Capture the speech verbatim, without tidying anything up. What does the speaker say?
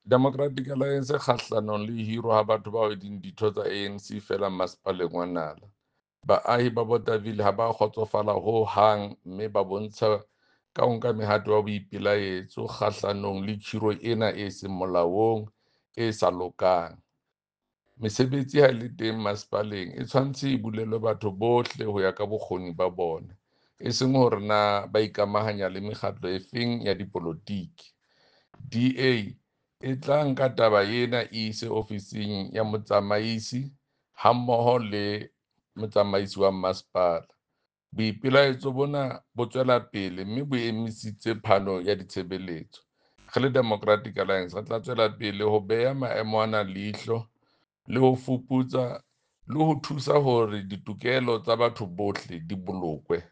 Democratic Alliance e kgahlanong le ho hirwa ha batho bao e leng ditho tsa A N C feela Masepaleng wa Nala. Baahi ba Bothaville ha ba kgotsofala ho hang mme ba bontsha ka ho nka mehato ya boipelaetso kgahlanong le khiro ena e seng molaong, e sa lokang. Mesebetsi ha e le teng masepaleng e tshwanetse e bulelwe batho bohle ho ya ka bokgoni ba bona, e seng hore na ba ikamahanya le mekgatlo efeng ya dipolotiki. D A e tla nka taba ena e ise ofising ya motsamaisi hammoho le motsamaisi wa masepala. Boipelaetso bona bo tswela pele mme bo emisitse phano ya ditshebeletso. Re le Democratic Alliance re tla tswela pele ho beha maemo ana leihlo le ho fuputsa le ho thusa hore ditokelo tsa batho bohle di bolokwe.